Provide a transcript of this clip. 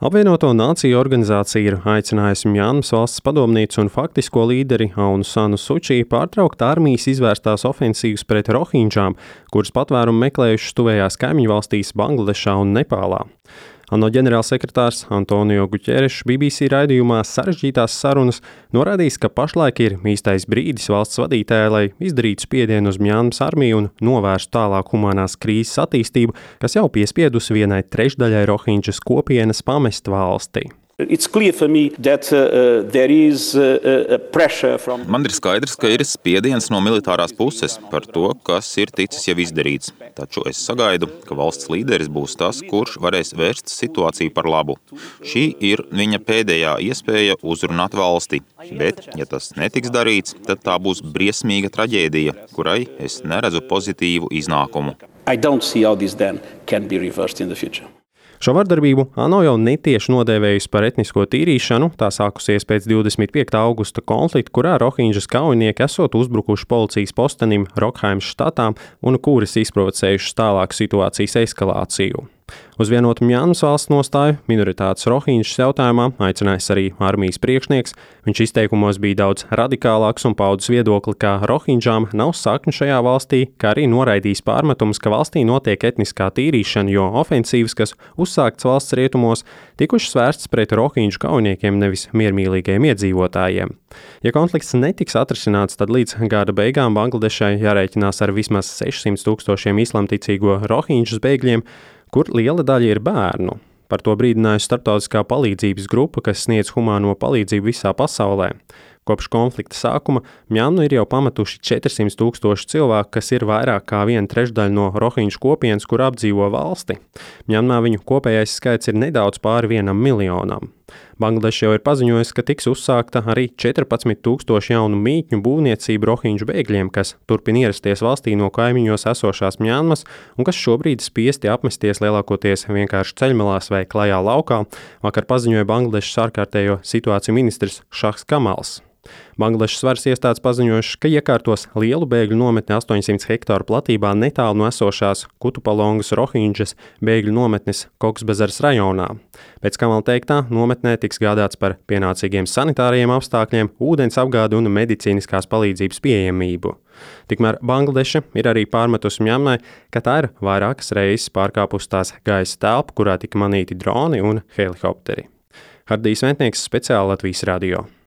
Apvienoto Nāciju organizācija ir aicinājusi Mjanmas valsts padomnīcu un faktisko līderi Aunu Sanu Suči pārtraukt armijas izvērstās ofensīvas pret rohinģām, kuras patvērumu meklējušas tuvējās kaimiņu valstīs Bangladešā un Nepālā. ANO ģenerālsekretārs Antonio Guterres BBC raidījumā Sarežģītās sarunas norādījis, ka pašlaik ir īstais brīdis valsts vadītājai, lai izdarītu spiedienu uz Mjanmas armiju un novērstu tālāk humanās krīzes attīstību, kas jau piespiedusi vienai trešdaļai rohinģas kopienas pamest valsti. Man ir skaidrs, ka ir spiediens no militārās puses par to, kas ir ticis jau izdarīts. Taču es sagaidu, ka valsts līderis būs tas, kurš varēs vērst situāciju par labu. Šī ir viņa pēdējā iespēja uzrunāt valsti. Bet, ja tas netiks darīts, tad tā būs briesmīga traģēdija, kurai es neredzu pozitīvu iznākumu. Šo vardarbību ANO jau netieši nodēvējusi par etnisko tīrīšanu, tā sākusies pēc 25. augusta konflikta, kurā rohinģas kaujinieki esot uzbrukuši policijas postenim Rokhaimas štatā un kuras izprovocējušas tālāku situācijas eskalāciju. Uz vienotu Mjanmas valsts nostāju minoritātes rohinģas jautājumā aicinājis arī armijas priekšnieks. Viņš izteikumos bija daudz radikālāks un paudis viedokli, ka rohinģām nav sakņu šajā valstī, kā arī noraidījis pārmetumus, ka valstī notiek etniskā tīrīšana, jo ofensīvas, kas uzsāktas valsts rietumos, tikušas vērstas pret rohinģu kaujiniekiem, nevis miermīlīgiem iedzīvotājiem. Ja konflikts netiks atrisināts, tad līdz gada beigām Bangladešai jārēķinās ar vismaz 600,000 islamticīgo rohinģas bēgļiem, kur liela daļa ir bērnu. Par to brīdinājusi starptautiskā palīdzības grupa, kas sniedz humāno palīdzību visā pasaulē. Kopš konflikta sākuma Mjanmu ir jau pametuši 400,000 cilvēku, kas ir vairāk kā 1/3 no rohinģu kopienas, kur apdzīvo valsti. Mjanmā viņu kopējais skaits ir nedaudz pāri 1 miljonam. Bangladeša jau ir paziņojusi, ka tiks uzsākta arī 14,000 jaunu mītņu būvniecību rohinģu bēgļiem, kas turpina ierasties valstī no kaimiņos esošās Mjanmas un kas šobrīd spiesti apmesties lielākoties vienkārši ceļmalās vai klajā laukā, vakar paziņoja Bangladešas ārkārtējo situāciju ministrs Šahs Kamals. Bangladešas varas iestādes paziņojušas, ka iekārtos lielu bēgļu nometni 800 hektāru platībā netālu no esošās Kutupalongas rohinģas bēgļu nometnes Koksbazaras rajonā. Pēc Kamala teiktā, nometnē tiks gādāts par pienācīgiem sanitāriem apstākļiem, ūdens apgādi un medicīniskās palīdzības pieejamību. Tikmēr Bangladeša ir arī pārmetusi Mjanmai, ka tā ir vairākas reizes pārkāpusi tās gaisa telpu, kurā tika manīti droni un helikopteri. Hardijs Ventnieks, speciāli Latvijas radio.